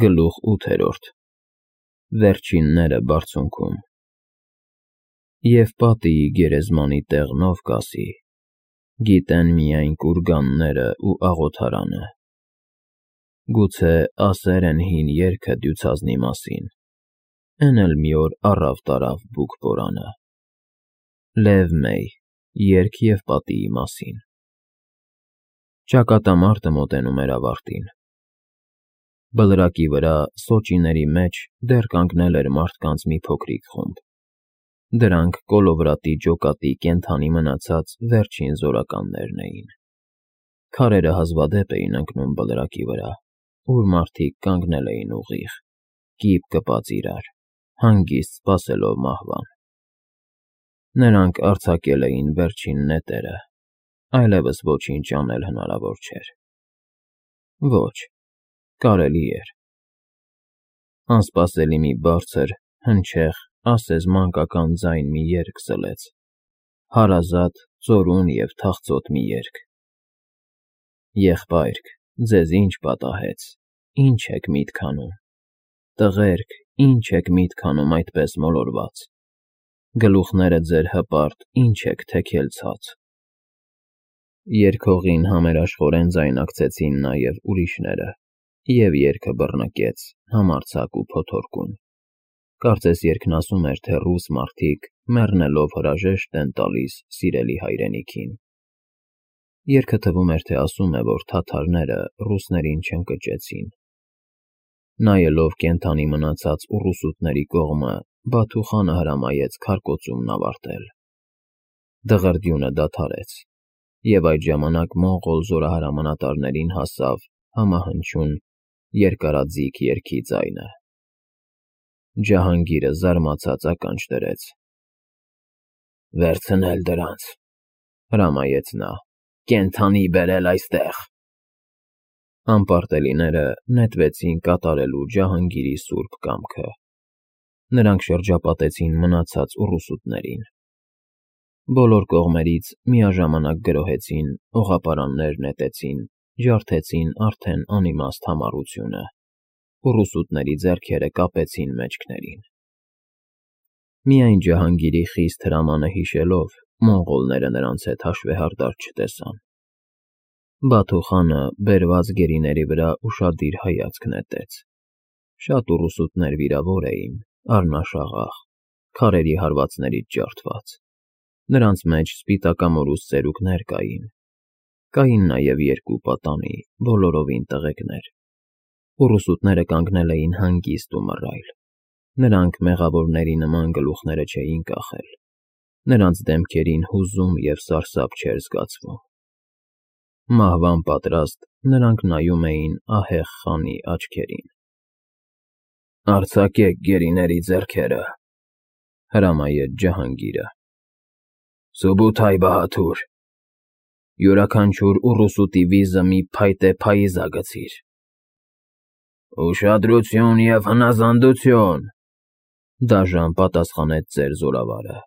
Գլուխ 8. Վերջինները բարձունքում։ Եվ պատիի գերեզմանի տեղնով կասի, գիտեն միայն կուրգանները ու աղոթարանը։ Գուցե ասեր են հին երգը դյուցազնի մասին, են էլ մի օր առավ տարավ բուկ բորանը։ Լև մեյ, երգ և պատիի մասին։ Ճակատամարտը մոտենում էր ավարտին։ Բլրակի վրա սոճիների մեջ դեռ կանգնել էր մարդկանց մի փոքրիկ խումբ։ Դրանք կոլովրատի ջոկատի կենդանի մնացած վերջին զորականներն էին։ Քարերը հազվադեպ էին ընկնում բլրակի վրա, ուր մարդիկ կանգնել էին ուղիղ, կիպ կպած իրար, հանգիստ սպասելով մահվան։ Նրանք արձակել էին վերջին նետերը, այլևս ոչինչ անել հնարավոր չէր։ Ոչ, կարելի էր։ Անսպասելի մի բարձր, հնչեղ, ասես մանկական ձայն մի երգ սլեց, հարազատ, ծորուն և թախծոտ մի երգ։ Եղբայրք, ձեզ ինչ պատահեց, ինչ եք միտք անում, տղերք, ինչ եք միտք անում այդպես մոլորված, գլուխները ձեր հպարտ, ինչ եք թեքել ցած։ Երգողին համերաշխորեն ձայնակցեցին նաև ուրիշները, և երգը բռնկեց, համարձակ ու փոթորկուն։ Կարծես երգն ասում էր, թե ռուս մարդիկ մեռնելով հրաժեշտ են տալիս սիրելի հայրենիքին։ Երգը թվում էր, թե ասում է, որ թաթարները ռուսներին չընկճեցին։ Նայելով կենդանի մնացած ուռուսուտների կողմը, Բաթու խանը հրամայեց քարկոծումն ավարտել։ Դղրդյունը դադարեց, և այդ ժամանակ մոնղոլ զորահրամանատարներին հասավ համահնչյուն երկարաձիգ երգի ձայնը։ Ջահանգիրը զարմացած ականջ դրեց։ «Վերցնել դրանց», հրամայեց նա, «կենդանի բերել այստեղ»։ Անպարտելիները նետվեցին կատարելու Ջահանգիրի սուրբ կամքը։ Նրանք շրջապատեցին մնացած ուռուսուտներին։ Բոլոր կողմերից միաժամանակ գրոհեցին, օղապարաններ նետեցին, ջարդեցին արդեն անիմաստ համառությունը։ Ուռուսուտների ձեռքերը կապեցին մեջքներին։ Միայն Ջահանգիրի խիստ հրամանը հիշելով, մոնղոլները նրանց հետ հաշվեհարդար չտեսան։ Բաթու խանը բերված գերիների վրա ուշադիր հայացք նետեց։ Շատ ուռուսուտներ վիրավոր էին, առնաշաղախ, քարերի հարվածներից ջարդված։ Նրանց մեջ սպիտակամորուս ծերուկներ կային։ Կային նաև երկու պատանի, բոլորովին տղեկներ։ Ուռուսուտները կանգնել էին հանգիստ ու մռայլ։ Նրանք մեղավորների նման գլուխները չէին կախել։ Նրանց դեմքերին հուզում և սարսափ չէր զգացվում։ Մահվան պատրաստ, նրանք նայում էին ահեղ խանի աչքերին։ «Արձակեք գերիների ձեռքերը», հրամայեց Ջահանգիրը։ «Սուբութայ Բահադուր, յուրաքանչյուր ուռուսուտի վիզը մի փայտե փայիզա գցիր»։ «Ուշադրություն և հնազանդություն», դաժան պատասխանեց ծեր զորավարը։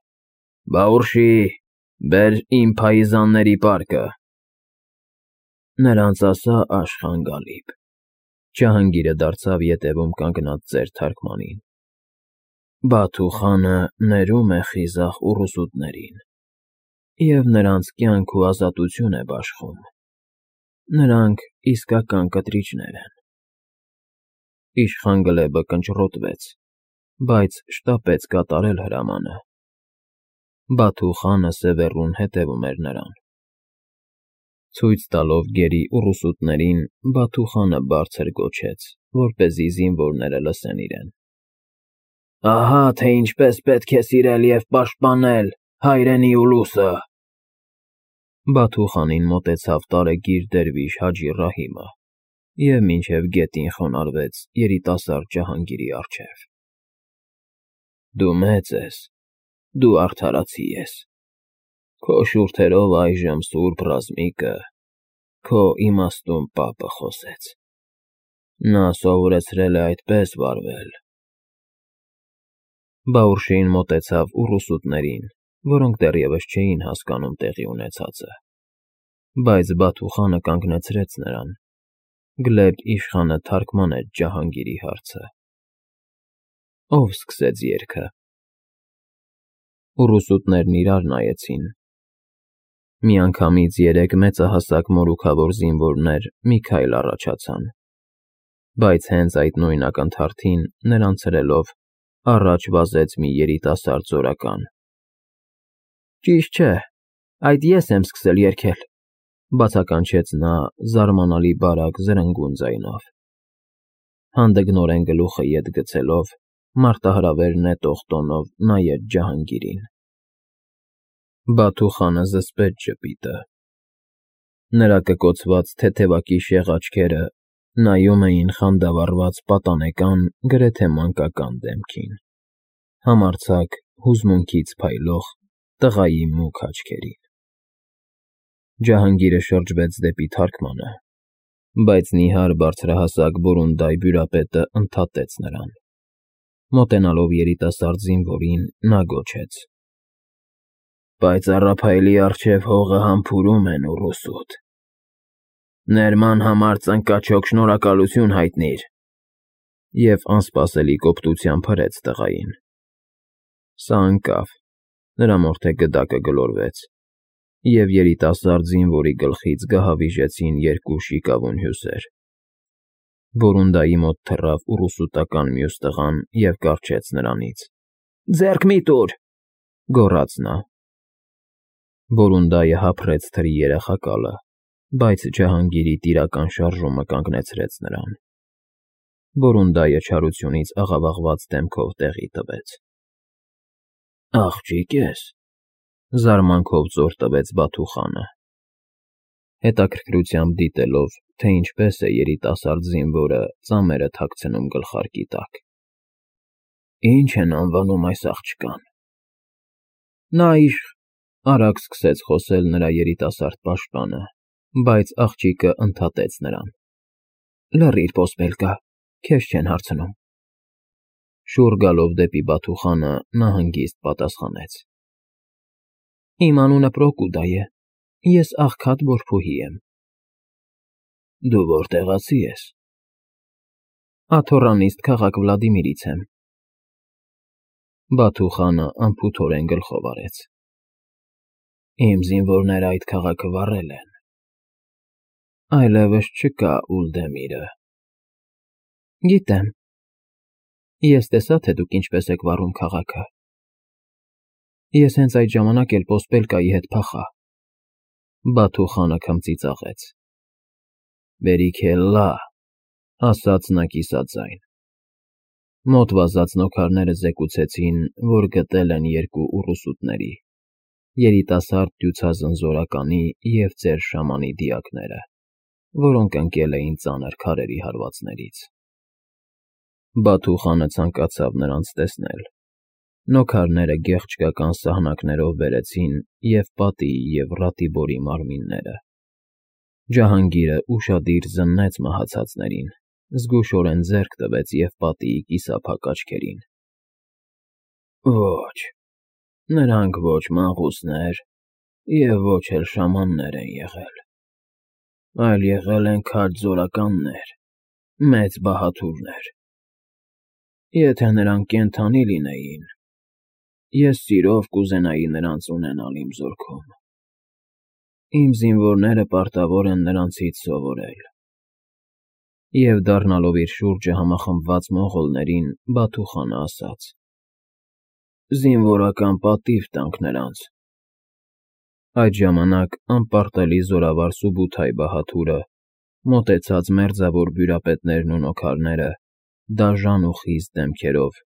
«Բաուրշի, բեր իմ փայիզանների պարկը»։ «Նրանց ասա, Աշխան-Գալիբ», Ջահանգիրը դարձավ ետևում կանգնած ծեր թարգմանին, «Բաթու խանը ներում է խիզախ ուռուսուտներին և նրանց կյանք ու ազատություն է բաշխում։ Նրանք իսկական կտրիչներ են»։ Իշխան Գլեբը կնճռոտվեց, բայց շտապեց կատարել հրամանը։ Բաթու խանը սևեռուն հետևում էր նրան։ Ցույց տալով գերի ուռուսուտներին, Բաթու խանը բարձր գոչեց, որպեսզի զինվորները լսեն իրեն։ «Ահա թե ինչպես պետք է սիրել և պաշտպանել հայրենի ուլուսը»։ Բաթու խանին մոտեցավ տարեգիր դերվիշ Հաջի Ռահիմը և մինչև գետին խոնարհվեց երիտասարդ Ջահանգիրի առջև։ «Դու մեծ ես, դու արդարացի ես։ Քո շուրթերով այժմ սուրբ ռազմիկը, քո իմաստուն պապը խոսեց։ Նա սովորեցրել է այդպես վարվել»։ Բաուրշին մոտեցավ ուռուսուտներին, որոնք դեռևս չէին հասկանում տեղի ունեցածը։ Բայց Բաթու խանը կանգնեցրեց նրան, Գլեբ իշխանը թարգմանեց Ջահանգիրի հարցը։ Ով սկսեց երգը։ Ուռուսուտներն իրար նայեցին։ Միանգամից երեք մեծահասակ մորուքավոր զինվորներ մի քայլ առաջացան, բայց հենց այդ նույն ակնթարթին նրանց ցրելով առաջ վազեց մի երիտասարդ զորական։ Ճիշտ չէ, այդ ես եմ սկսել երգել, բացականչեց նա զարմանալի բարակ զրնգուն ձայնով։ Հանդգնորեն գլուխը ետ գցելով, մարտահրավեր նետող տոնով նայեց Ջահանգիրին։ Բաթու խանը զսպեց ժպիտը։ Նրա կկոցված թեթևակի շեղ աչքերը նայում էին խանդավառված պատանեկան, գրեթե մանկական դեմքին, համարձակ, հուզմունքից փայլող տղայի մուգ աչքերին։ Ջահանգիրը շրջվեց դեպի թարգմանը, բայց նիհար բարձրահասակ բորունդայ բյուրապետը ընդհատեց նրան։ Մոտենալով երիտասարդ զինվորին, նա գոչեց. Պայծառափայլի առջև հողը համբուրում են ուռուսուտ։ Ներման համար ծնկաչոք շնորհակալություն հայտնիր։ Եվ անսպասելի կոպտությամբ հրեց տղային։ Սա ընկավ, նրա մորթե գդակը գլորվեց, և երիտասարդ զինվորի գլխից գահավիժեցին երկու շիկավուն հյուսեր։ Բորունդայի մոտ թռավ ուռուսուտական մյուս տղան և կառչեց նրանից։ Ձեռք մի տուր, գոռաց նա։ Բորունդայը հափռեց թրի երախակալը, բայց Ջահանգիրի տիրական շարժումը կանգնեցրեց նրան։ Բորունդայը չարությունից աղավաղված դեմքով տեղի տվեց։ Աղջիկ ես, զարմանքով զոր տվեց Բաթու խանը, հետաքրքրությամբ դիտելով, թե ինչպես է երիտասարդ զինվորը ծամերը թաքցնում գլխարկի տակ։ Ինչ են անվանում այս աղջկան։ Նա արագ սկսեց խոսել նրա երիտասարդ պաշտպանը, բայց աղջիկը ընդհատեց նրան։ Լռիր, ոսպելկա, քեզ չեն հարցնում։ Շուռ գալով դեպի Բաթու խանը, նա հանգիստ պատասխանեց. Իմ անունը Պրոկուդա է, ես աղքատ որբուհի եմ։ Դու որտեղացի ես։ Աթոռանիստ քաղաք Վլադիմիրից եմ։ Բաթու խանը անփութորեն գլխով արեց։ Իմ զինվորները այդ քաղաքը վառել են։ Այլևս չկա Ուլդեմիրը։ Գիտեմ։ Ես տեսա, թե դուք ինչպես եք վառում քաղաքը։ Ես հենց այդ ժամանակ էլ ոսպելկայի հետ փախա։ Բաթու խանը քմծիծաղեց։ Բերիքելլա, ասաց նա կիսաձայն։ Մոտ վազած նոքարները զեկուցեցին, որ գտել են երկու ուռուսուտների, երիտասարդ դյուցազն զորականի և ծեր շամանի դիակները, որոնք ընկել էին ծանր քարերի հարվածներից։ Բաթու խանը ցանկացավ նրանց տեսնել։ Նոքարները գեղչկական սահնակներով բերեցին և պատիի և Ռատիբորի մարմինները։ Ջահանգիրը ուշադիր զննեց մահացածներին, զգուշորեն ձեռք տվեց և պատիի կիսափակ աչքերին։ Ոչ, նրանք ոչ մանկուսներ և ոչ էլ շամաններ են եղել, այլ եղել են քաջ զորականներ, մեծ բահադուրներ։ Եթե նրանք կենդանի լինեին, ես սիրով կուզենայի նրանց ունենալ իմ զորքում։ Իմ զինվորները պարտավոր են նրանցից սովորել։ Եվ դառնալով իր շուրջը համախմբված մոնղոլներին, Բաթու խանը ասաց. Զինվորական պատիվ տանք նրանց։ Այդ ժամանակ անպարտելի զորավար Սուբութայ բահադուրը, մոտեցած մերձավոր բյուրապետներն ու նոքարները, դաժան ու խիստ դեմքերով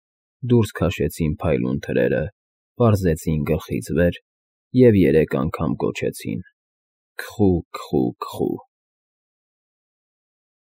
դուրս քաշեցին փայլուն թրերը, պարզեցին գլխից վեր և 3 անգամ գոչեցին. Քխու, քխու, քխու։